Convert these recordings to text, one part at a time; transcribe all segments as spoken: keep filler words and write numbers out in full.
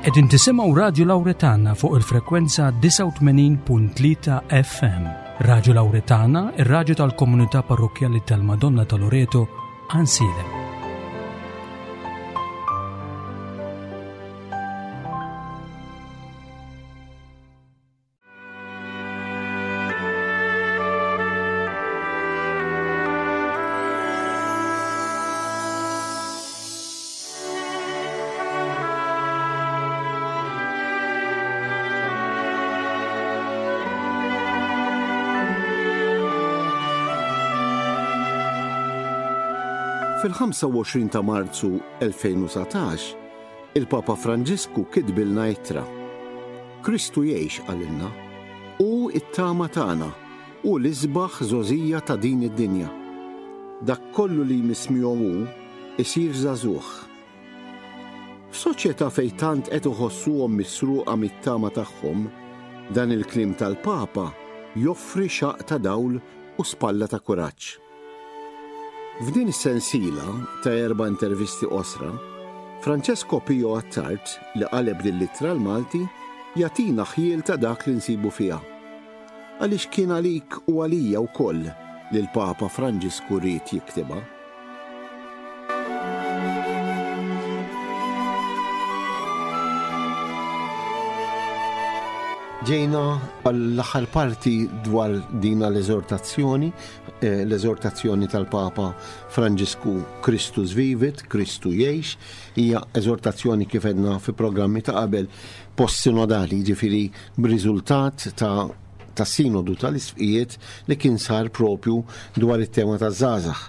Qegħdin tisimgħu Radju Lawretana fuq il-frekwenza disgħa u tmenin punt tlieta F M. Radju Lawretana, ir-radju tal-komunità parrokkjali tal-Madonna ta' Loreto, Għajnsielem. Fil-ħamsa u għoxrin ta' Marzu elfejn u satax, il-Papa Franġisku kitbilna ittra. Kristu jgħix, qalilna, hu t-tama tagħna, hu l-isbaħ żgħożija ta' din id-dinja. Dak kollu li jmiss miegħu hu isir żagħżugħ. F'soċjetà fejn tant qed iħossuhom misruqa mit-tama tagħhom, dan il-kliem tal-Papa joffri xaq ta' dawl u spalla ta' kuraġġ. F'din is-sensiela ta' erba' intervisti qosra, Francesco Pio Attard, li qaleb din l-ittra l-Malti, jagħtina ħjiel ta' dak li nsibu fiha. Għaliex kien għalik u għalija wkoll li l-Papa Franġisku ried jiktibha. Ġejna għall-aħħar parti dwar dina l-eżortazzjoni, eh, l-eżortazzjoni tal-Papa Franġisku Christus Vivit, Kristu jgħix, hija eżortazzjoni kif għedna fi programmi ta' qabel post-sinodali, ġifieri b'riżultat ta' ta' sinodu tal-isqfijiet li kien sar propju dwar it-tema ta' żgħażagħ.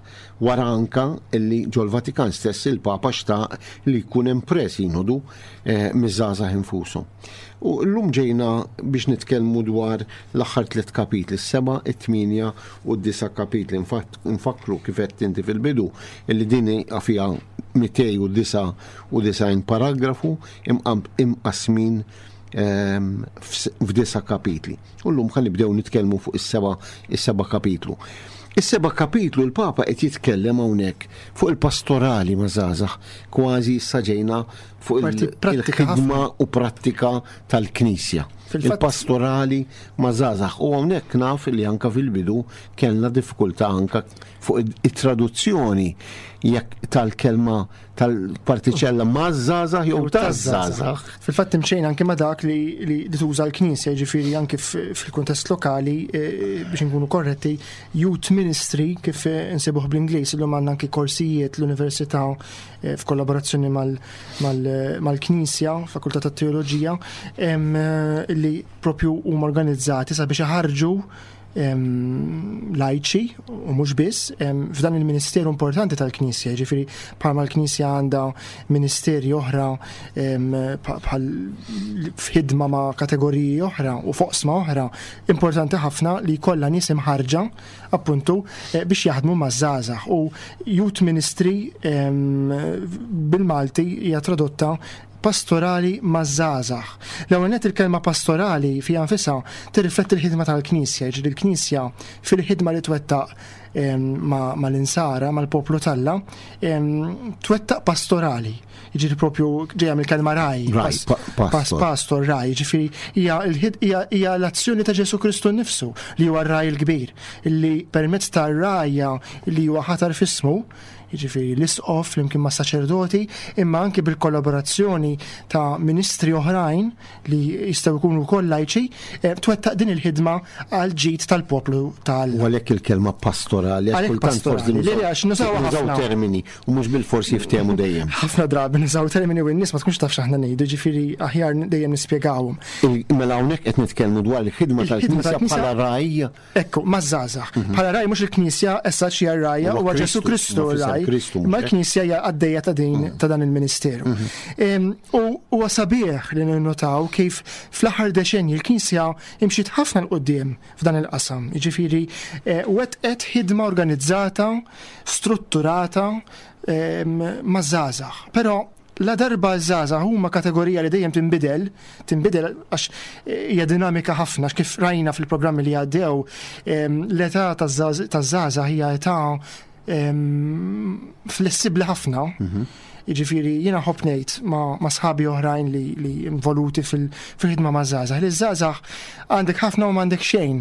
Wara anka illi ġol-Vatikan stess il-Papa xtaq li jkun hemm pre-sinodu, eh, miż-żgħażagħ infushom. U llum ġejna biex nitkellmu dwar l-aħħar tliet kapitli, is-seba', it-tmienja u d-disa' kapitli. Infatt, nfakru kif qed inti fil-bidu illi din hija fiha mitej u disa' u disgħin paragrafu imqam-, imqasmin, ehm, fs-, f'disa' kapitli. U llum ħa nibdew nitkellmu fuq is-seba', is-seba' kapitlu. Is-seba' kapitlu l-Papa qed jitkellem hawnhekk fuq il-pastorali ma' żgħażagħ, kważi issa ġejna fuq il- Parti prattika il-ħidma ħafna. u prattika tal-Knisja. Fil-fatt Il-pastorali ma' żgħażagħ. U hawnhekk naf li anka fil-bidu kellna diffikultà anka fuq id-, it-traduzzjoni jekk tal-kelma tal-partiċella ma' żgħażagħ jew Jew ta' taż-żgħażagħ. żgħażagħ. Fil-fatt imxejna anke ma' dak li, li, li tuża l-Knisja, jiġifieri anke f-, fil-kuntest lokali, eh, biex inkunu korretti, Youth Ministry kif insibuh bl-Ingliż, illum għandna anke korsijiet l-Università, eh, f'kollaborazzjoni mal, mal, mal-Knisja, Fakultà tat-Teoloġija, em, li propju huma organizzati sabiex iħarġu, em, lajċi u mhux biss, em, f'dan il-ministeru importanti tal-Knisja, jiġifieri bħalma l-Knisja għandha ministeri oħra, em, pa-, bħal f'ħidma ma' kategoriji oħra u foqsma oħra, importanti ħafna li jkollha nies imħarġa appuntu, eh, biex jaħdmu maż-żgħażagħ. U Youth Ministry, em, bil-Malti hija tradotta pastorali maż-żgħażagħ. L-ewwel nett il-kelma pastorali fiha nfisha tirrifletti l-ħidma tal-Knisja, jiġifieri l-Knisja fil-ħidma li twettaq, em, ma-, mal-insara, mal-poplu t'Alla, em, twettaq pastorali. Jiġifieri propju ġejja mill-kelma raj, Raj, pas-, pa-, pastor. pas-, pastor, raj, jiġifieri hija l-ħid-, hija, hija l-azzjoni ta' Ġesu Kristu nnifsu li huwa r-raj il-kbir, li permezz tar-rajja li huwa ħatar f'ismu, jiġifieri l-isqof flimkien ma' saċerdoti, imma anke bil-kollaborazzjoni ta' ministri oħrajn li jistgħu jkunu wkoll lajċi, eh, twettaq din il-ħidma għal ġid tal-poplu ta' Alla. U għalhekk il-kelma pastorali, għax Għalhekk kultant forsi pastorali. nużaw Le, le, għax nużaw nużaw ħafna. termini u mhux bil-forsi jiftehmu dejjem. Ħafna drabi nużaw termini u n-nies ma tkunx taf x'aħna ngħidu, ġifieri aħjar dejjem nispjegawhom. Il-, mela hawnhekk qed nitkellmu dwar il-ħidma Il-ħidma tal-Knisja tal-Knisja bħala raj. Ekku, maż-żgħażagħ. Mhm. Bħala raj mhux il-Knisja issa xi hija r-rajja, Huwa huwa Ġesu Kristu, Kristu ma fisem r-raj. Kristu, Ma mhux hekk? l-Knisja hija għaddejja ta' din, Mm. ta' dan il-ministeru. Mhm. Em, u huwa sabiħ li ninnotaw kif fl-aħħar deċenji l-Knisja imxiet ħafna 'l quddiem f'dan il-qasam. Jiġifieri, eh, wettqet ħidma organizzata, strutturata, em, maż-żgħażagħ. Però la darba ż-żgħażagħ huma kategorija li dejjem tinbidel, tinbidel għax hija dinamika ħafna, għax kif rajna fil-programmi li għaddew, em, l-età taż-żgħażagħ hija età flessibbli ħafna. Mhm. Jiġifieri jiena nħobb ngħid ma', ma sħabi oħrajn li, li involuti fil-ħidma ma' żgħażagħ. Li żgħażagħ għandek ħafna u m'għandek xejn.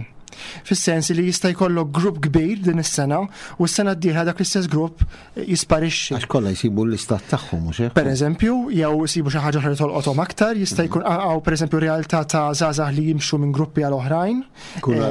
Fis-sens li jista' jkollok grupp kbir din is-sena u s-sena d-dieħla dak l-istess grupp jisparixxi. Għax kollha jsibu l-istat tagħhom mhux hekk? Pereżempju, jew jsibu xi ħaġa oħra li tolqothom aktar, jista' jkun hawn pereżempju realtà ta' żgħażagħ li jimxu minn gruppi għal oħrajn. Kunu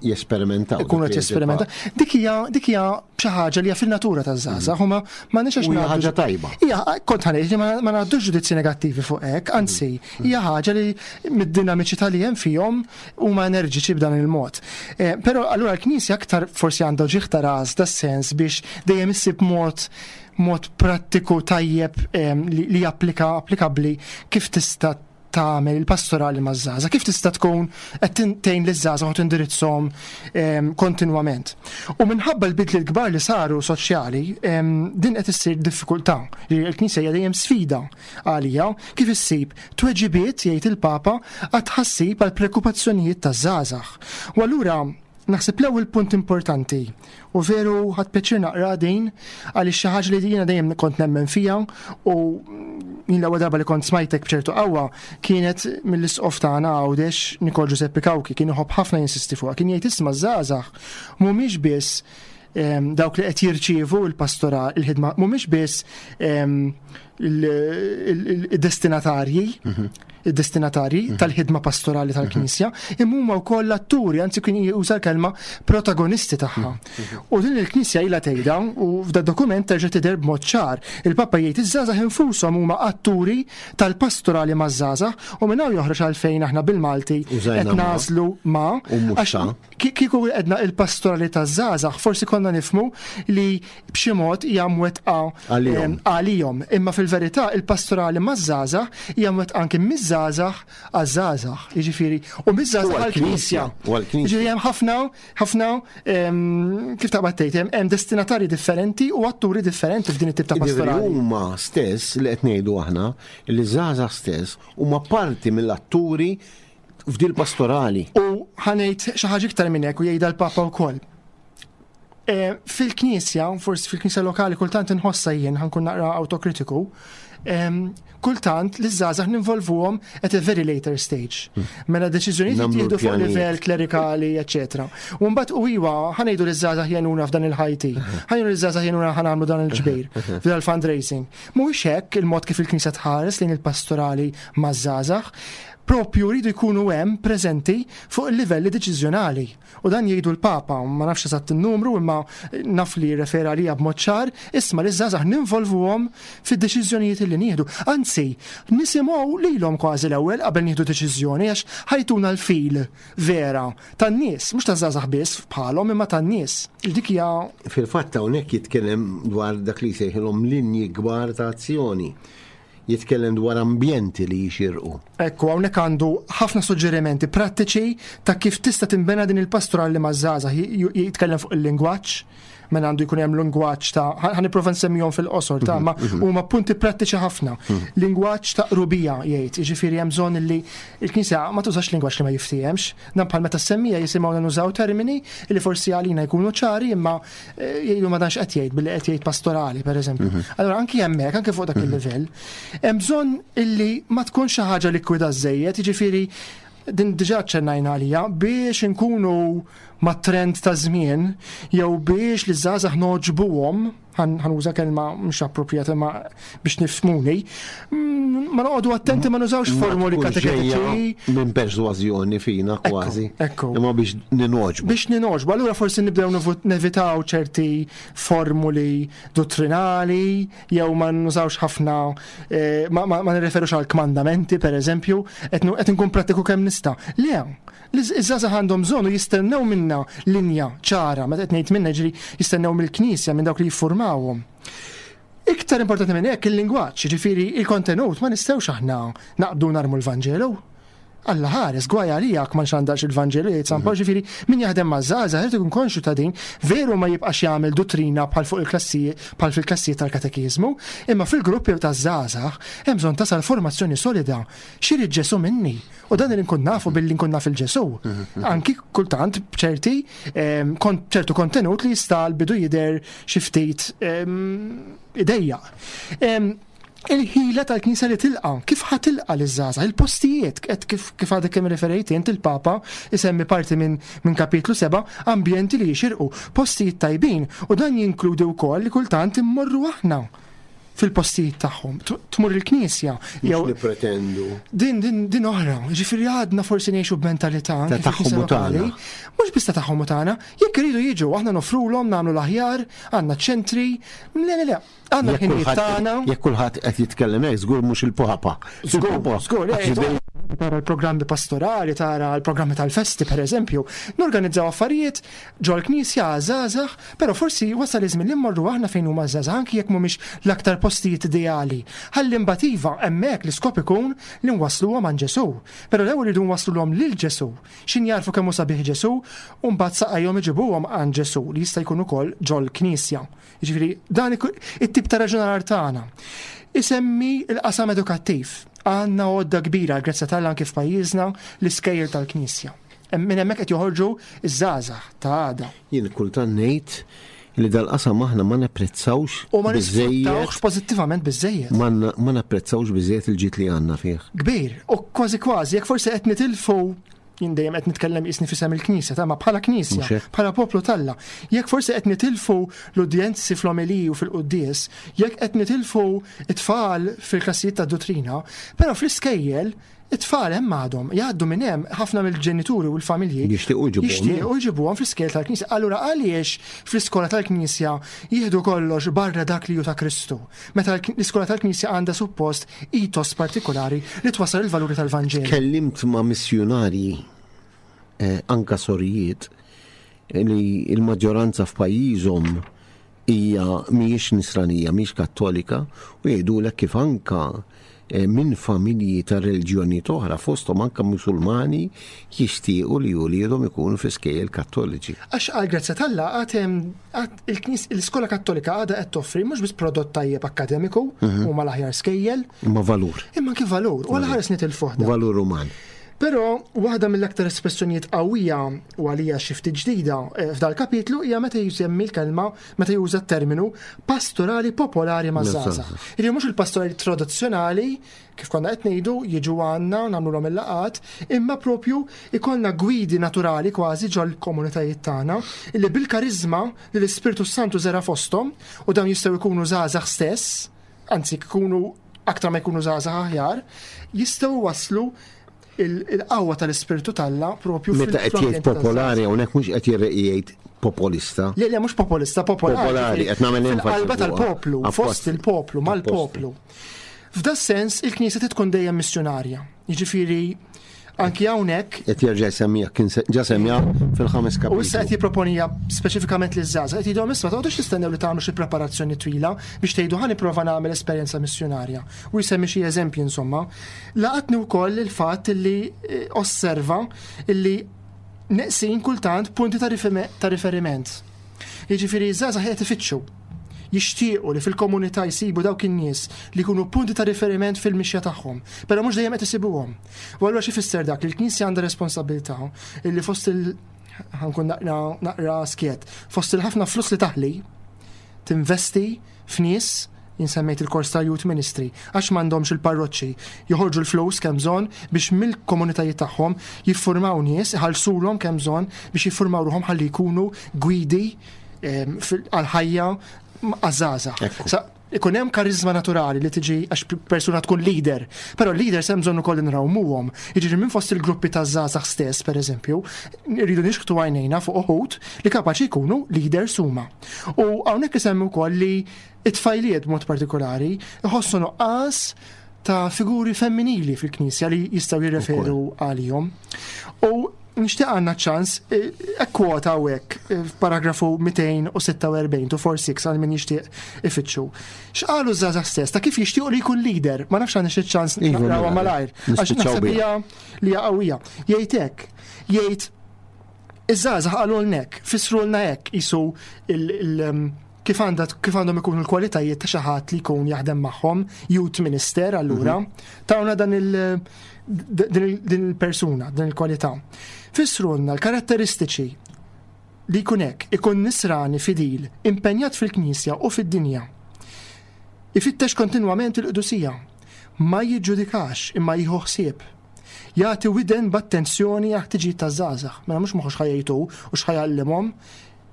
jesperimentaw. Kunu qed jesperimentaw. Dik hija dik hija xi ħaġa li hija fin-natura taż-żgħażagħ, huma m'għandniex għax ħaġa tajba. Hija kont ħa ngħid ma ngħaddux ġudizzji negattivi fuq hekk, anzi, hija ħaġa li mid-dinamiċità li hemm fihom huma enerġiċi b'dan il-mod. Eh, però allura l-Knisja aktar forsi għandha uġigħ ta' ras das-sens biex dejjem issib mod mod prattiku tajjeb li, li applika applikabbli kif tista' tagħmel il-pastorali maż-żgħażagħ, kif tista' tkun qed tgħin liż-żgħażagħ u tindirizzhom kontinwament. U minħabba l-bidli l-kbar li saru soċjali, din qed issir diffikultà. Il-Knisja hija dejjem sfida għalija kif issib tweġibiet jgħid il-Papa għat-tħassib għal preokkupazzjonijiet taż-żgħażagħ. U allura naħseb l-ewwel punt importanti u veru ħadt pjaċir naqra din għaliex xi ħaġa li jiena dejjem kont nemmen fija u jien l-ewwel darba li kont smajtek b'ċertu qawwa kienet mill-isqof tagħna Għawdex Nikol Giuseppe Cauchi, kien iħobb ħafna jinsisti fuqha, kien jgħid isma' żgħażagħ mhumiex biss dawk li qed jirċievu l-pastoral, il-ħidma, mhumiex biss il-destinatarji, id-destinatarji mhm. tal-ħidma pastorali tal-Knisja, imma huma wkoll l-atturi, anzi kien juża l-kelma protagonisti tagħha. Mhm. U din il-Knisja ilha tgħidha u f'da dokument terġa' tidher b'mod ċar. Il-Papa jgħid iż-żgħażagħ infushom huma atturi tal-pastorali maż-żgħażagħ u minn hawn joħroġ għalfejn aħna bil-Malti qed nagħżlu ma' għax kieku għedna il-pastorali taż-żgħażagħ forsi konna nifhmu li b'xi mod hija mwettqa għalihom. Imma fil-verità il-pastorali maż-żgħażagħ hija mwettqa anke miż-żgħażagħ għaż-żgħażagħ, jiġifieri u miż-żgħażagħ għall-Knisja. Jiġifieri hemm ħafna ħafna kif taqbad tgħid hemm destinatarji differenti u atturi differenti f'din it-tip ta' pastorali. Huma stess li qed ngħidu aħna li żgħażagħ stess huma parti mill-atturi f'dil pastorali. U ħa ngħid xi ħaġa iktar minn hekk u jgħidha l-Papa wkoll. Fil-Knisja, forsi fil-Knisja lokali kultant inħossa jien ħa nkun naqra autokritiku, kultant li żgħażagħ ninvolvuhom at a very later stage. Mela deċiżjonijiet jittieħdu fuq livell klerikali, eċetera. U mbagħad u iwa ħa ngħidu li żgħażagħ jgħinuna f'dan il-ħajti, ħa ngħidu li żgħażagħ jgħinuna ħa nagħmlu dan il-ġbir, f'dan il-fundraising. Mhuwiex hekk il-mod kif il-Knisja tħares lejn il-pastorali maż-żgħażagħ, propju rridu jkunu hemm preżenti fuq il-livelli deċiżjonali. U dan jgħidu l-Papa, ma nafx eżatt in-numru, imma naf li refera għalija b'mod ċar, isma' li żgħażagħ ninvolvuhom fid-deċiżjonijiet li nieħdu. Anzi, nisimgħu lilhom kważi l-ewwel qabel nieħdu deċiżjoni għax ħa jtuna l-feel vera tan-nies, mhux taż-żgħażagħ biss bħalhom imma tan-nies. Dik hija Fil-fatt hawnhekk jitkellem dwar dak li jsejħilhom linji kbar ta' azzjoni. Jitkellem dwar ambjenti li jixirqu. Ekku, hawnhekk għandu ħafna suġġerimenti prattiċi ta' kif tista' tinbena din il-pastorali maż-żgħażagħ. Jitkellem fuq il-lingwaġġ, mela għandu jkun hemm lingwaġġ ta' ħa nipprova nsemmihom fil-qosor ta' ma huma punti prattiċi ħafna. Lingwaġġ ta' qrubija jgħid, jiġifieri hemm bżonn li l-Knisja ma tużax lingwaġġ li ma jiftihemx. Dan bħal meta semmija jisimgħu nużaw termini li forsi għalina jkunu ċari imma jgħidu ma danx qed jgħid billi qed jgħid pastorali pereżempju. Allura anki hemmhekk, anke fuq dak il-livell, hemm bżonn illi ma tkunx xi ħaġa likwida żejjed, jiġifieri din diġà ċennajna għalija biex inkunu ma' trend ta' żmien jew biex li żgħażagħ noġbuhom, ħa nuża kelma mhux appropriata ma biex nifhmuni, ma noqogħdu attenti ma nużawx formuli kateketiċi. Minn persważjoni fina kważi. Ekku. Imma biex ninoġbu. Biex ninoġbu. Allura forsi nibdew nevitaw ċerti formuli dottrinali jew ma nużawx ħafna, ma nirreferux għal kmandamenti per eżempju, qed nkun prattiku kemm nista'. Le, iż-żgħażagħ għandhom bżonn u jistennew minna linja ċara, meta qed ngħid minna ġri jistennew mill-Knisja minn dawk li jiffurmawhom. Iktar importanti minn hekk il-lingwaġġ, jiġifieri il-kontenut ma nistgħux aħna naqbdu narmu l-Vanġelu. Alla ħares, gwaj għalijak ma nxandarx il-Vanġelu, jgħid San Pawl, ġifieri min jaħdem ma' żgħażagħ irid ikun konxju ta' din, veru ma jibqax jagħmel duttrina bħal fuq il-klassijiet, bħal fil-klassijiet tal-katekiżmu, imma fil-gruppi ta' żgħażagħ hemm bżonn tasal formazzjoni solida. X'irid Ġesù minni? U dan li nkun nafu billi nkun naf il-Ġesù. Anki kultant b'ċerti ehm, ċertu kontenut li jista' l-bidu jidher xi ftit ehm, idejjaq. Ehm, il-ħila tal-Knisja li tilqa, kif ħa tilqa liż-żgħażagħ, il-postijiet, qed kif kif għadek kemm referejt int, il-Papa isemmi parti minn min kapitlu seba', ambjenti li jixirqu, postijiet tajbin, u dan jinkludi wkoll li kultant immorru aħna fil-postijiet tagħhom, tmur il-Knisja. Jew nippretendu. Din din din oħra, ġifieri għadna forsi ngħixu b'mentalità ta' tagħhom u tagħna. Mhux biss ta' tagħhom u tagħna, jekk iridu jiġu aħna nofrulhom, nagħmlu l-aħjar, għandna ċentri, le le le, għandna ħinijiet tagħna. Jekk kulħadd qed jitkellem hekk, żgur mhux il-Papa. Żgur, żgur, tara l-programmi pastorali, tara l-programmi tal-festi, per eżempju, norganizzaw affarijiet ġol-knisja żgħażagħ, però forsi wasal iż-żmien li mmorru aħna fejn huma żgħażagħ, anki jekk mhumiex l-aktar postijiet ideali. Ħalli mbagħad iva hemmhekk l-iskop ikun li nwassluhom għand Ġesù. Però l-ewwel iridu nwassluhom lil Ġesù. X'in jarfu kemm hu sabiħ Ġesù, u mbagħad saqajhom iġibuhom għand Ġesù li jista' jkun ukoll ġol-knisja. Jiġifieri dan it-tip ta' raġunar tagħna. Isemmi l-qasam edukattiv. Għandna għodda kbira, grazzja t'Alla anke f'pajjiżna, l-iskejjel tal-Knisja. Minn hemmhekk qed joħorġu iż-żgħażagħ ta' għada. Jien kultant ngħid li dal-qasam aħna ma napprezzawx U ma nisfruttawx pożittivament biżejjed. Ma napprezzawx biżejjed il-ġid li għandna fih. Kbir, u kważi kważi jekk forsi qed nitilfu, jien dejjem qed nitkellem jisni fisem il-Knisja, ta' ma bħala Knisja, bħala poplu t'Alla. Jekk forsi qed nitilfu l-udjenzi fl-omeliji u fil-quddies, jekk qed nitilfu it-tfal fil-klassijiet ta' dottrina, però fl-iskejjel it-tfal hemm għadhom, jgħaddu minn hemm ħafna mill-ġenituri u l-familji jixtiequ jixtiequ jġibuhom fl-iskejjel tal-Knisja. Allura għaliex fl-iskola tal-Knisja jieħdu kollox barra dak li hu ta' Kristu? Meta l-iskola tal-Knisja għandha suppost ethos partikolari li twassal il-valuri tal-Vanġelu. Tkellimt ma' missjunarji, eh, anka sorijiet, li l-maġġoranza f'pajjiżhom hija mhijiex nisranija, mhijiex kattolika, u jgħidulek kif anka minn familji ta' reliġjoni oħra, fosthom anka musulmani, jixtiequ li uliedhom ikunu fi skejjel kattoliċi. Għax għal grazzja t'Alla għad hemm l-iskola kattolika għadha qed toffri mhux biss prodott tajjeb akkademiku u mal-aħjar skejjel, imma valur. Imma anke valur, u għal ħares nitilfuh dan. Valur uman. Però waħda mill-aktar espressjonijiet qawwija u għalija xi ftit ġdida f'dal kapitlu hija meta jsemmi l-kelma, meta juża t-terminu pastorali popolari maż-żgħażagħ. Jiġifieri mhux il-pastorali tradizzjonali kif konna qed ngħidu jiġu għandna nagħmluhom il-laqat, imma propju ikollna gwidi naturali kważi ġol-komunitajiet tagħna illi bil-karizma li l-Ispirtu Santu żera fosthom, u dawn jistgħu jkunu żgħażagħ stess, anzi jkunu aktar ma jkunu żgħażagħ aħjar, jistgħu waslu il-qawwa tal-Ispirtu t'Alla propju Meta qed jgħid popolari hawnhekk mhux qed jgħid populista. Le, le, mhux populista, popolari. Popolari, qed nagħmel enfasi Fil-qalba fuqha. tal-poplu, fost il-poplu, mal-poplu. F'da sens il-Knisja tkun dejjem missjonarja. Jiġifieri anki hawnhekk qed jerġa' jsemmija, kien ġa semmija fil-ħames kapitlu. U issa qed jipproponija speċifikament liż-żgħażagħ, qed jgħidhom isma' toqgħodux tistennew li tagħmlu xi preparazzjoni twila biex tgħidu ħa nipprova nagħmel esperjenza missjonarja. U jsemmi xi eżempji insomma. Laqatni wkoll il-fatt li osserva illi neqsin kultant punti ta' riferiment. Jiġifieri ż-żgħażagħ qed ifittxu, jixtiequ li fil-komunità jsibu dawk in-nies li jkunu punti ta' riferiment fil-mixja tagħhom, però mhux dejjem qed isibuhom. U allura xi fisser dak li l-Knisja għandha responsabilità illi fost il ħankun naqra, naqra skiet, fost il-ħafna flus li taħli tinvesti f'nies, jinsemmejt il-kors ta' Youth Ministry, għax m'għandhomx il-parroċċi, joħorġu l-flus kemm bżonn biex mill-komunitajiet tagħhom jiffurmaw nies, iħallsulhom kemm bżonn biex jiffurmaw ruħhom ħalli jkunu gwidi, ehm, għal-ħajja għażaża. Sa ikun hemm karizma naturali li tiġi għax persuna tkun leader, però leader hemm bżonn ukoll nrawmuhom. Jiġifieri minn fost il-gruppi ta' żgħażagħ stess, pereżempju, rridu nixħtu għajnejna fuq uħud li kapaċi jkunu leaders huma. U hawnhekk isemmi wkoll li it-tfajliet b'mod partikolari iħossu nuqqas ta' figuri femminili fil-Knisja li jistgħu jirreferu Ukoll. għalihom. U Nixtieq għandna ċans, kwota hawnhekk f'paragrafu mitejn u sitta u erbgħin to forty-six għal min jixtieq ifittxu. X'qalu żgħażagħ stess ta' kif jixtiequ li jkun leader, ma nafx għandna xi ċans Iva, naqrawha mela, malajr. Għax nispiċċaw naħseb biha. hija li hija qawwija. Jgħid hekk, jgħid iż-żgħażagħ qalulna hekk, fissrulna hekk jisu il- il- um, kif għandha kif għandhom ikunu l-kwalitajiet ta' xi ħadd li jkun jaħdem magħhom, youth minister allura, tawna dan il din il- din il-persuna, din il-kwalità. Fissrulna l-karatteristiċi li jkun hekk, ikun nisrani fidil, impenjat fil-Knisja u fid-dinja. Ifittex kontinwament il-qdusija, ma jiġġudikax imma jieħu ħsieb. Jagħti widen b'attenzjoni għal ħtiġijiet taż-żgħażagħ. Mela mhux moħħu x'ħa jgħidu u x'ħa jgħallimhom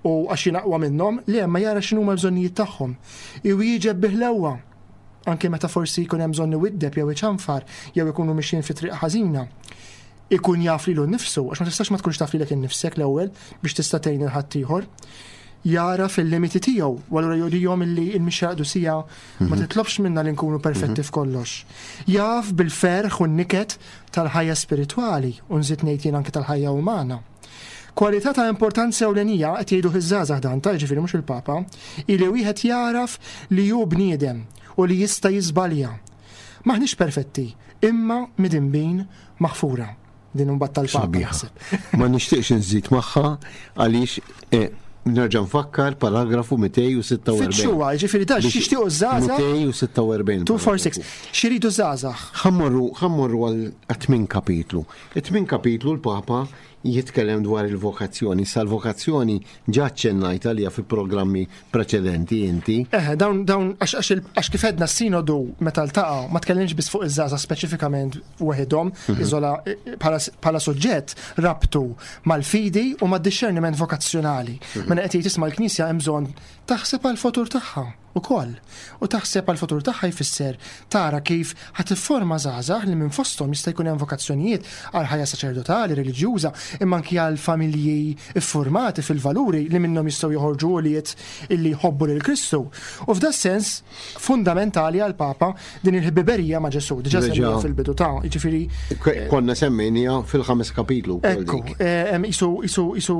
u għax jien aqwa minnhom, li hemm jara x'inhuma l-bżonnijiet tagħhom. Iwieġeb biħlewwa anke meta forsi jkun hemm bżonn iwiddeb jew iċanfar jew ikunu mixjin fi triq ħażina. Ikun jaf lilu nnifsu, għax ma tistax ma tkunx taf lilek innifsek l-ewwel biex tista' tgħin il ħaddieħor. Jara fil-limiti tiegħu, u allura jurihom illi l-mixja qdusija ma titlobx minna li nkunu perfetti f'kollox. Jaf bil-ferħ u n-niket tal-ħajja spiritwali u nżid ngħid jien anke tal-ħajja umana. Kwalità ta' importanza ewlenija qed jgħidu iż-żgħażagħ dan ta' ġifieri mhux il-Papa, ili wieħed jaraf li hu bniedem u li jista' jiżbalja. Maħniex perfetti, imma midinbin maħfura. Din imbagħad tal-Papa. Sabiħa. Naħseb. Ma nixtieqx nżid magħha għaliex eh, nerġa' nfakkar paragrafu mitejn u sitta u erbgħin. Fittxuha, ġifieri da x'jixtiequ żgħażagħ mitejn u sitta u erbgħin. two four six. X'iridu żgħażagħ? Ħa mmorru, ħa mmorru għal tmien kapitlu. It-tmien kapitlu l-Papa jitkellem dwar il-vokazzjoni. Sa l-vokazzjoni ġa ċċennajt għalija fi programmi preċedenti inti. Eħe, dawn, dawn, għax, għax, il- għax kif għedna s-sinodu meta ltaqa' ma tkellimx biss fuq iż-żgħażagħ speċifikament waħedhom, iżola bħala bħala suġġett rabtu mal-fidi u mad-discerniment vokazzjonali. Mela qed jgħid isma' l-Knisja hemm bżonn taħseb għal-futur tagħha ukoll. U taħseb għal-futur tagħha jfisser tara kif ħa tifforma żgħażagħ li minn fosthom jista' jkun hemm vokazzjonijiet għal ħajja saċerdotali, reliġjuża, imma anki għal familji iffurmati fil-valuri li minnhom jistgħu joħorġu ulied illi jħobbu lil Kristu. U f'da sens fundamentali għal Papa din il-ħbiberija ma' Ġesù, diġà Reġa' semmija fil-bidu ta' jiġifieri Konna semmejnija fil-ħames kapitlu wkoll Ekku, dik. eh, em, isu, isu, isu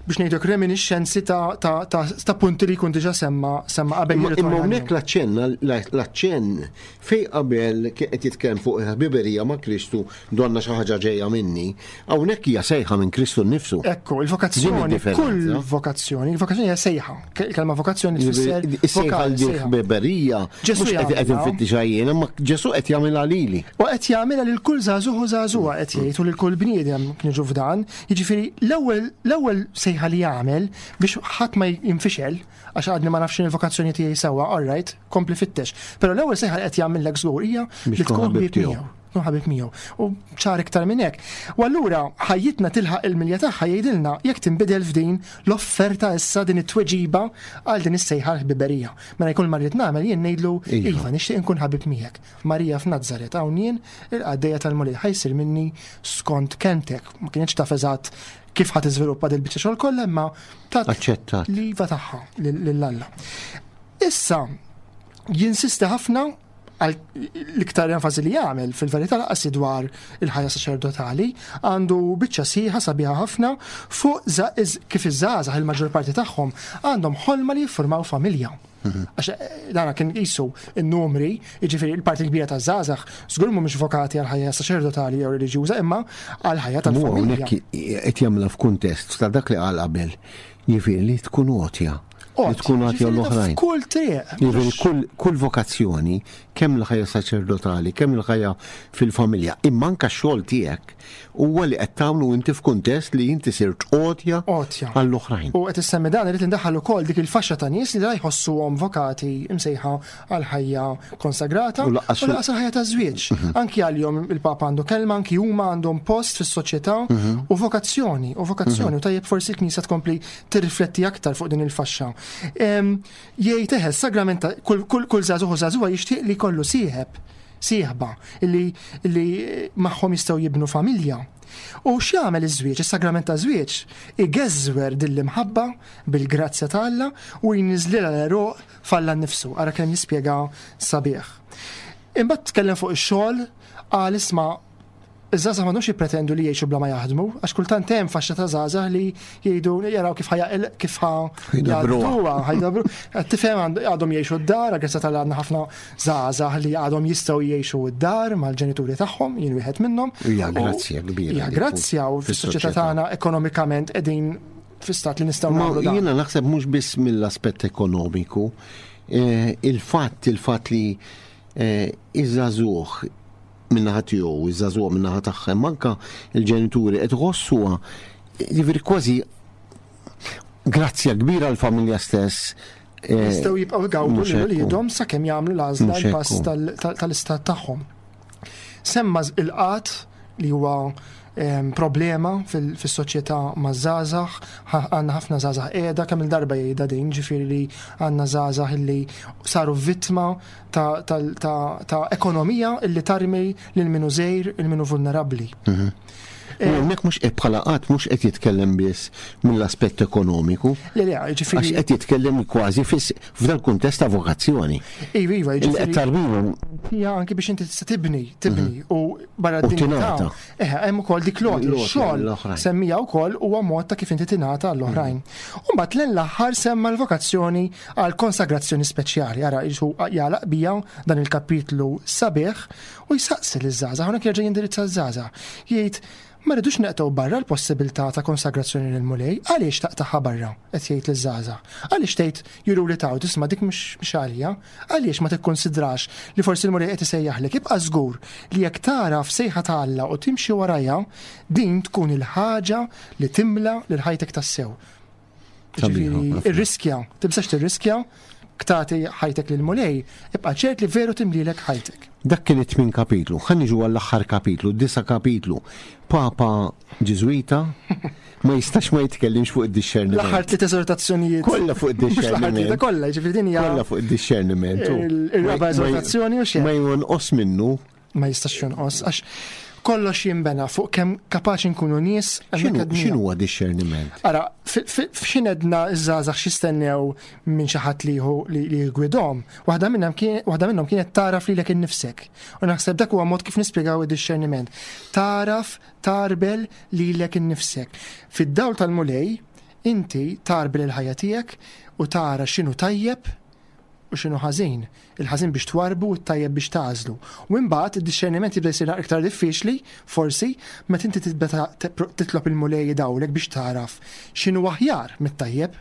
biex ngħidlek reminiscenzi ta', ta, ta, ta' punti li jkun diġà semma semma qabel Imma jirritorna imma hawnhekk għalihom. l-aċċenn l-aċċenn fej qabel kien qed jitkellem fuq il-ħbiberija ma' Kristu donna xi ħaġa ġejja minni, hawnhekk hija sejħa minn Kristu nnifsu. Ekku, Din il-vokazzjoni, id-differenza. kull vokazzjoni, il-vokazzjoni hija sejħa. Ke- Il-kelma vokazzjoni tfisser Is-sejħa vokal, li sejħa. ħbiberija Ġesu mhux qed qed jagħmilha. infittixha jien, imma Ġesu qed jagħmilha lili. U qed jagħmilha lil kull żagħżugħ u żagħżugħa qed jgħid u lil kull bniedem niġu f'dan. Jiġifieri l-ewwel l-ewwel sejħa li jagħmel biex ħadd ma jinfixel għax għadni ma nafx il-vokazzjoni tiegħi sewwa, all right, kompli fittex. Però l-ewwel sejħa li qed jagħmellek żgur hija Biex li tkun tkun ħabib ħbieb tiegħu. miegħu. Tkun ħabib miegħu. U ċar iktar minn hekk. U allura ħajjitna tilħaq il-milja tagħha jgħidilna jekk tinbidel f'din l-offerta issa din it-tweġiba għal din is-sejħa l-ħbiberija. Mela jkun ma rrid nagħmel jien ngħidlu Iva. iva nixtieq inkun ħabib miegħek. Marija f'Nazzaret hawn jien il-qaddejja tal-Mulej ħa jsir minni skont kelmtek. Ma kienx taf eżatt kif ħa tiżviluppa dil biċċa xogħol kollha imma tat Aċċettat. l-iva tagħha lil Alla. Issa jinsisti ħafna għal l-iktar enfasi li jagħmel fil-verità lanqas dwar il-ħajja saċerdotali għandu biċċa sħiħa sabiħa ħafna fuq za- iż- kif iż-żgħażagħ il-maġġor parti tagħhom għandhom ħolma li jiffurmaw familja. Għax eh, dana kien qisu n-numri, jiġifieri il-parti kbira ta' żgħażagħ żgur mhumiex vokati għal ħajja saċerdotali jew reliġjuża imma għal ħajja Mu tal-familja. hawnhekk qed jagħmilha f'kuntest ta' dak li qal qabel. Jiġifieri li tkun għotja. Li tkun għotja Ġifieri ta' l-oħrajn. F'kull triq. Jiġifieri kull, kull vokazzjoni, kemm l-ħajja saċerdotali, kemm l-ħajja fil-familja, imma anke x-xogħol tiegħek huwa li qed tagħmlu inti f'kuntest li inti sirt għotja Għotja. għall-oħrajn. U qed issemmi dan irid indaħħal ukoll dik il-faxxa ta' nies li la jħossuhom vokati imsejħa għal ħajja konsagrata U u lanqas- lanqas għal ħajja ta' żwieġ. Anki għalihom il-Papa għandu kelma, anki huma għandhom post fis-soċjetà u vokazzjoni, u vokazzjoni u tajjeb forsi l-Knisja tkompli tirrifletti aktar fuq din il-faxxa. Em, Jgħid eħe, sagramenta kull kull kull żagħżugħ u żagħżugħa jixtieq li jkollu sieħeb, sieħba illi illi magħhom jistgħu jibnu familja. U x'jagħmel iż-żwieġ, is-sagrament ta' żwieġ, igeżwer din l-imħabba bil-grazzja ta' Alla u jniżlilha l-għeruq f'Alla nnifsu. Ara kemm jispjega sabiħ. Imbagħad tkellem fuq ix-xogħol qal isma' Iż-żgħażagħ m'għandhomx jippretendu li jgħixu bla ma jaħdmu, għax kultant hemm faxxa ta' żgħażagħ li jgħidu jaraw kif ħa kif ħa jgħadduha, ħajdabru. Tifhem, għadhom jgħixu d-dar, grazzi tal għandna ħafna żgħażagħ li għadhom jistgħu jgħixu d-dar mal-ġenituri tagħhom, jien wieħed minnhom. Hija grazzja kbira. Hija grazzja, u fis-soċjetà tagħna ekonomikament qegħdin fi stat li nistgħu nagħmlu dan. Jiena naħseb mhux biss mill-aspett ekonomiku, il-fatt il-fatt li iż-żagħżugħ min-naħa tiegħu, iż-żagħżugħ min-naħa tagħha, manka il-ġenituri qed iħossuha, jiġifieri kważi grazzja kbira l-familja stess. Jistgħu jibqgħu jgawdu lil uliedhom sakemm jagħmlu l-għażla, l-pass tal-istat tagħhom. Semma il-qgħad li huwa problema fis-soċjetà maż-żgħażagħ, għandna ħafna żgħażagħ qiegħda, kemm il-darba jgħidha din, ġifieri li għandna żgħażagħ illi saru vittma ta' ekonomija illi tarmi lil minu żgħir, il minu vulnerabbli. Hawnhekk mhux qed bħala qatt mhux qed jitkellem biss mill-aspett ekonomiku. Le, le, ġifieri għax qed jitkellem kważi f'dan kuntest ta' vokazzjoni. Iva, iva, ġifieri. Tarbihom. Hija anki biex inti tista' tibni, tibni u barra d-dinjità. Eh, hemm ukoll dik l xogħol semmija wkoll huwa mod ta' kif inti tingħata għall-oħrajn. U mbagħad lejn l-aħħar semma l-vokazzjoni għal konsagrazzjoni speċjali. Ara jisu jagħlaq bija dan il-kapitlu sabiħ u jsaqsi liż-żgħażagħ, hawnhekk jerġa' jindirizza ż-żgħażagħ. Jgħid ma rridux neqtgħu barra l-possibilità ta' konsagrazzjoni lil Mulej, għaliex taqtaħha barra, qed jgħid liż-żgħażagħ. Għaliex tgħid juru li taw tisma' dik mhux għalija, għaliex ma tikkonsidrax li forsi l-Mulej qed isejjaħlek. Ibqa' żgur li jekk tara f'sejħa ta' Alla u timxi warajha, din tkun il-ħaġa li timla lil ħajtek tassew. Ġifieri irriskja, tibżax tirriskja, ktati ħajtek lil Mulej, ibqa' ċert li veru timlilek ħajtek. Dak kien it-tmien kapitlu, ħa niġu għall-aħħar kapitlu, disa' kapitlu. Papa Ġiżwita ma jistax ma jitkellimx fuq id-dixxerniment. L-aħħar tliet eżortazzjonijiet. Kollha fuq id-dixxerniment. Kollha, ġifieri din hija. Kollha fuq id-dixxerniment. Ir-raba' eżortazzjoni u xejn. Ma jonqos minnu. Ma jistax jonqos, għax kollox jinbena fuq kemm kapaċi nkunu nies. X'inhu huwa dixxerniment? Ara, f'x'in edna ż-żgħażagħ x'jistennew minn xi ħadd li jgwidhom, waħda minnhom waħda minnhom kienet taraf lilek innifsek. U naħseb dak huwa mod kif nispjegaw id-dixxerniment. Taraf tarbel lilek innifsek. Fid-dawl tal-Mulej, inti tarbel il-ħajja tiegħek u tara x'inhu tajjeb u x'inhu ħażin. Il-ħażin biex twarbu u t-tajjeb biex tagħżlu. U imbagħad id-dixxerniment jibda jsir iktar diffiċli, forsi, meta inti tibda titlob il-Mulej idawlek biex taraf x'inhu aħjar mit-tajjeb.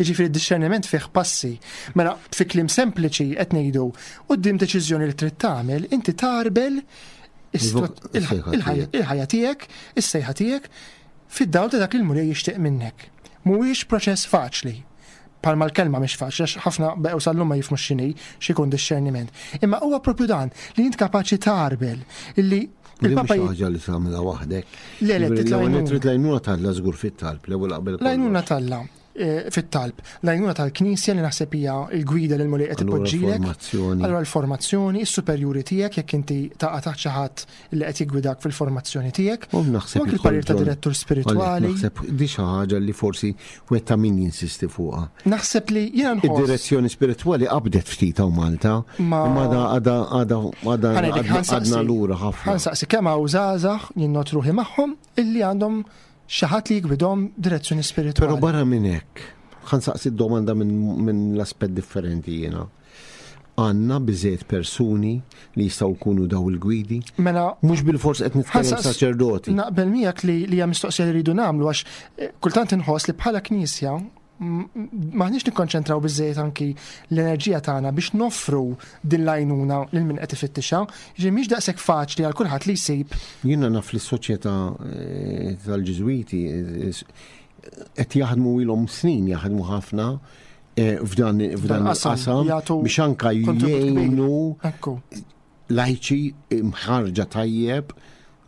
Jiġifieri d-dixxerniment fih passi. Mela fi kliem sempliċi qed ngħidu quddiem deċiżjoni li trid tagħmel, inti tarbel il-ħajja tiegħek, is-sejħa tiegħek fid-dawl ta' dak li l-Mulej jixtieq minnek. Mhuwiex proċess faċli. Palma l-kelma mhix faċli, għax ħafna beqgħu sal-lum ma jifhmux x'inhi, x'ikun dixxerniment. Imma huwa propju dan li int kapaċi tarbel illi il-Papa ħaġa li tagħmilha waħdek. Le, le, trid l-għajnuna t'Alla żgur fit-talb, l-ewwel qabel. L-għajnuna t'Alla fit-talb, l-għajnuna tal-Knisja li naħseb hija l-gwida lil Mulej qed ipoġġilek. Allura l-formazzjoni, is-superjuri tiegħek jekk inti taqa' taħt xi ħadd li qed jiggwidak fil-formazzjoni tiegħek. U naħseb il-parir ta' direttur spiritwali. Naħseb di xi ħaġa li forsi wieħed ta' min jinsisti fuqha. Naħseb li jiena nħoss. Id-direzzjoni spiritwali qabdet ftit hawn Malta, imma għadha għadha għadha għadna lura ħafna. Ħansaqsi kemm hawn żgħażagħ jien not ruħi magħhom illi għandhom xi ħadd li jgwidhom direzzjoni spiritwali. Però barra minn hekk, ħansaqsi d-domanda minn l-aspett differenti jiena. Għandna biżejjed persuni li jistgħu jkunu daw il-gwidi? Mela mhux bil-fors qed nitkellem saċerdoti. Naqbel miegħek li hija mistoqsija li rridu nagħmlu għax kultant inħoss li bħala Knisja maħniex nikkonċentraw biżejjed anki l-enerġija tagħna biex noffru din l-għajnuna lil min qed ifittixha, jiġifieri mhix daqshekk faċli għal kulħadd li jsib. Jiena naf li s-soċjetà tal-Ġiżwiti qed jaħdmu ilhom snin jaħdmu ħafna f'dan il-qasam biex anke jgħinu lajċi mħarġa tajjeb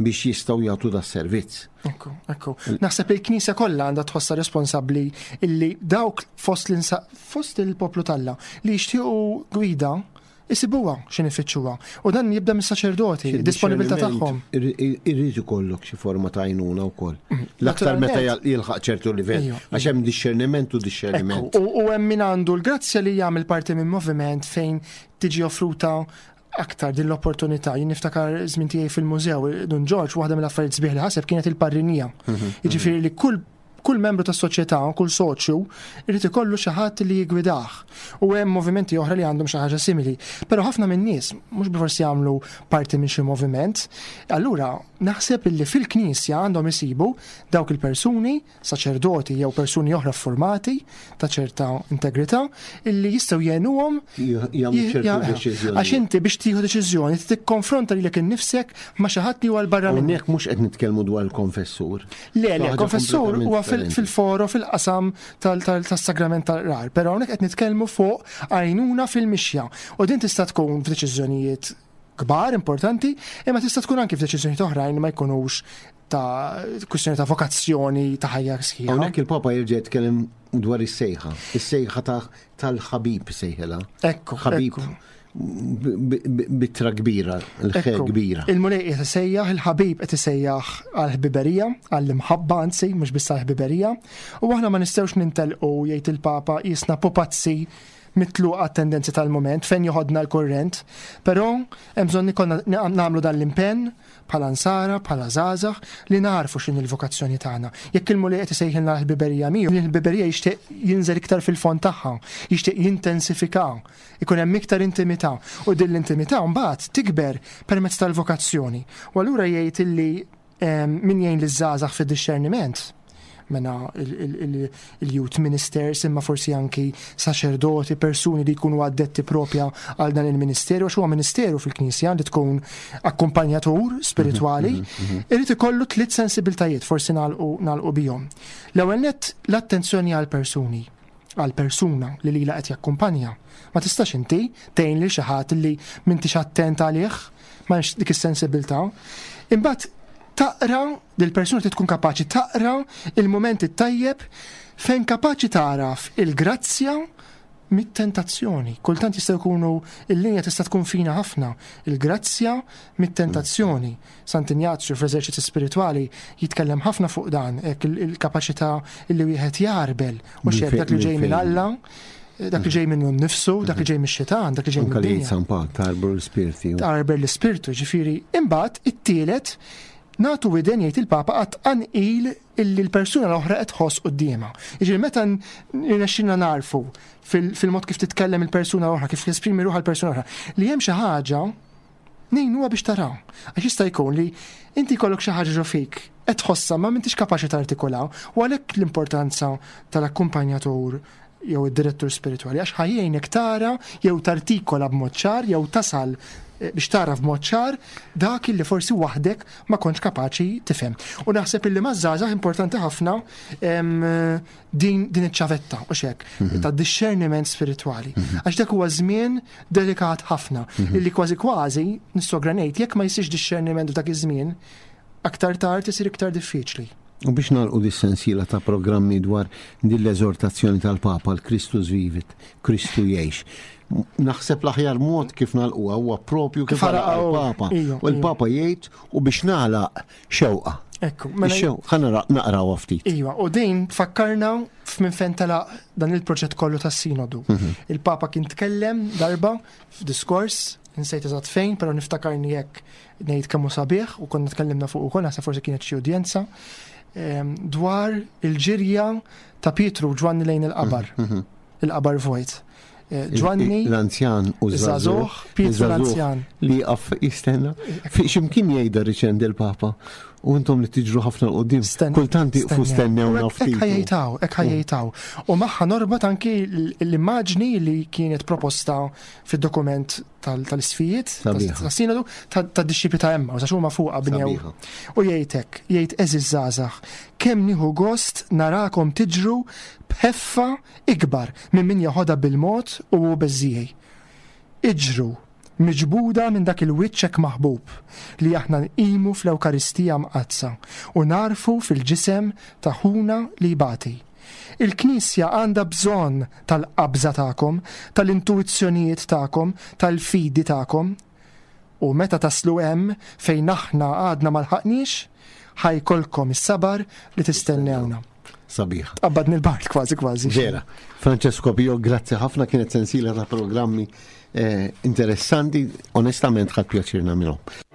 biex jistgħu jagħtu da servizz. Ekku, ekku. Naħseb li l-Knisja kollha għandha tħossha responsabbli illi dawk fost fost il-poplu t'Alla li jixtiequ gwida isibuha x'in ifittxuha. U dan jibda mis-saċerdoti, id-disponibilità tagħhom. Irrid ikollok xi forma ta' għajnuna wkoll. L-aktar meta jilħaq ċertu livell, għax hemm dixxerniment u dixxerniment. U hemm min għandu l-grazzja li jagħmel parti minn moviment fejn tiġi offruta aktar din l-opportunità. Jien niftakar żmien tiegħi fil-mużew, Dun Ġorġ, waħda mill-affarijiet sbieħ li ħaseb kienet il-parrinija. Jiġifieri li kull kull membru tas-soċjetà, kull soċju, irid ikollu xi ħadd li jigwidah. U hemm movimenti oħra li għandhom xi ħaġa simili. Però ħafna min-nies mhux bilforsi jagħmlu parti minn xi moviment. Allura naħseb illi fil-Knisja għandhom isibu dawk il-persuni, saċerdoti jew persuni oħra formati ta' ċerta integrità, illi jistgħu jgħinuhom Jagħmlu ċertu deċiżjoni. Għax inti biex tieħu deċiżjoni tikkonfronta lilek innifsek ma' xi ħadd li huwa 'l barra minnek. Hawnhekk mhux qed nitkellmu dwar il-konfessur. Le, le, Ħaġa konfessur kompletament huwa fil- differenti. fil-foro, fil-qasam tas-sagrament tal-qrar, però hawnhekk qed nitkellmu fuq għajnuna fil-mixja. U din tista' tkun f'deċiżjonijiet kbar, importanti, imma tista' tkun anki f'deċiżjonijiet oħrajn li ma jkunux ta' kwistjoni ta' vokazzjoni ta' ħajja sħiħa. Hawnhekk il-Papa jerġa' jitkellem dwar is-sejħa, is-sejħa ta' tal-ħabib sejħela. Ekku, Ħabib ekku. b- b- bitra kbira, il-ħe Ekku, kbira. Il-Mulej qed isejjaħ, il-ħabib qed isejjaħ għall-ħbiberija, għall-imħabba anzi, mhux biss għall-ħbiberija, u aħna ma nistgħux nintelqu, jgħid il-Papa, jisna pupazzi mitluqa tendenzi tal-moment fejn joħodna l-kurrent, però hemm bżonn ikollna nagħmlu dan l-impenn bħala nsara, bħala żgħażagħ li narfu x'inhi l-vokazzjoni tagħna. Jekk il-Mulej qed isejħilna l-ħbiberija miegħu, l-ħbiberija jixtieq jinżel iktar fil-fond tagħha, jixtieq jintensifika, ikun hemm iktar intimità, u din l-intimità mbagħad tikber permezz tal-vokazzjoni. U allura jgħid illi em, min jgħin liż-żgħażagħ fid-discerniment, mena il-youth ministers, imma forsi anki saċerdoti, persuni li jkunu addetti propja għal dan il-ministeru, għax huwa ministeru fil-Knisja li tkun akkumpanjatur spiritwali, irid ikollu tliet sensibiltajiet, forsi nagħlqu nagħlqu bihom. L-ewwel nett, l-attenzjoni għal persuni, għal persuna li lila qed jakkumpanja. Ma tistax inti tgħin lil xi ħadd li m'intix attent għalih, ma hemmx dik is-sensibilità. Imbagħad taqra dil-persuna trid tkun kapaċi taqra il-moment it-tajjeb fejn kapaċi taraf il-grazzja mit-tentazzjoni. Kultant jistgħu jkunu, il-linja tista' tkun fina ħafna, il-grazzja mit-tentazzjoni. Sant'Injazju fl-eżerċizzi spiritwali jitkellem ħafna fuq dan, hekk il- il-kapaċità illi wieħed jarbel u Minn xejn fejn- dak li ġej minn minn fejn. Alla, dak li ġej minnu nnifsu, dak li ġej mix-xitan, dak li ġej Anka li mid-dinja. San Pawl tarbru l-spirti. Tarbel l-ispirtu, ġifieri. Imbagħad it-tielet, nagħtu widen, jgħid il-Papa, għat anqil illi l-persuna l-oħra qed tħoss quddiemha. Jiġifieri meta nirnexxilna narfu fil- fil-mod kif titkellem il-persuna l-oħra, kif jesprimi ruħha l-persuna l-oħra, li hemm xi ħaġa, ngħinuha biex taraw. Għax jista' jkun li inti jkollok xi ħaġa ġo fik, qed tħossha ma m'intix kapaċi tartikolaw, u għalhekk l-importanza tal-akkumpanjatur jew id-direttur spiritwali, għax ħa jgħinek tara jew tartikola b'mod ċar jew tasal eh, biex tara b'mod ċar dak illi forsi waħdek ma kontx kapaċi tifhem. U naħseb illi maż-żgħażagħ importanti ħafna em, din, din iċ-ċavetta u xek ta' discerniment spiritwali. Għax dak huwa żmien delikat ħafna illi kważi kważi nissogra ngħid jekk ma jsirx discerniment f'dak iż-żmien, aktar tard isir iktar diffiċli. U biex nagħlqu dis-sensiela ta' programmi dwar din l-eżortazzjoni tal-Papa l-Christus vivit, Kristu jgħix. Naħseb l-aħjar mod kif nagħlquha huwa propju kif Kif għalaq għalaq il-Papa. Iju, U l-Papa jgħid u biex nagħlaq xewqa. Ekku, mela Ix-xewqa, ħa nara- naqrawha ftit. Iva, u din tfakkarna f'minn fejn telaq dan il-proġett kollu tas-sinodu. Il-Papa kien tkellem darba f'diskors, insejt eżatt fejn, però niftakarni jekk ngħid kemm hu sabiħ u konna tkellimna fuq ukoll, naħseb forsi kienet xi udjenza, em, dwar il-ġirja ta' Pietru u Ġwanni lejn il-qabar, il-qabar vojt. Eh, Ġwanni, L-anzjan u iż-żagħżugħ, żagħżugħ. Pietru l-anzjan. Li għaf jistenna. Fi ximkien jgħidha riċendi l-Papa. U intom li tiġru ħafna 'l quddiem. Sten- Kultant iqfu stennew. stennew Hekk ftit. ħa jgħidhaw, hekk ħa jgħidhaw. U magħha norbot anki l- l-immaġni li kienet proposta fid-dokument tal- tal-isfijiet, Sabiħa. tas-sinodu, tad-disċipli ta' Emma, u sa huma fuqha bnew. Sabiħa. U jgħidek, jgħid: "Għeżież żgħażagħ, kemm nieħu gost narakom tiġru b'ħeffa ikbar minn min jaħodha bil-mod u hu beżżiegħi. Iġru, miġbuda minn dak il-wiċċek maħbub li aħna nqimu fl-Ewkaristija mqaddsa u narfu fil-ġisem ta' ħuna li jbati. Il-Knisja għandha bżonn tal-qabża tagħkom, tal-intuizzjonijiet tagħkom, tal-fidi tagħkom. U meta taslu hemm fejn aħna għadna ma lħaqniex, ħa jkollkom is-sabar li tistennewna." Sabiħa. Tqabbadni l-bard kważi kważi. Vera. Francesco Pio, grazzi ħafna, kienet sensiela ta' programmi eh, interessanti, onestament ħadt pjaċir nagħmilhom.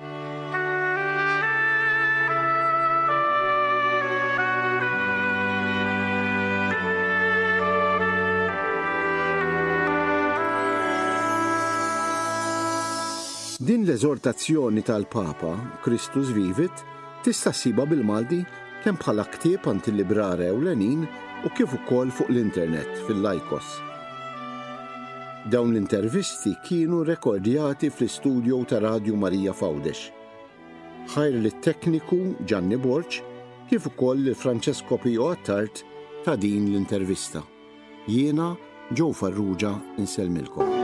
Din l-eżortazzjoni tal-Papa, Christus Vivit, tista' ssibha bil-Malti kemm bħala ktieb għand il-librara ewlenin u kif ukoll fuq l-internet fil-Lycos. Dawn l-intervisti kienu rekordjati fl-istudio ta' Radju Marija f'Għawdex. Ħajr lit-tekniku Gianni Borg kif ukoll lil Francesco Pio Attard ta' din l-intervista. Jiena Joe Farrugia insellmilkom.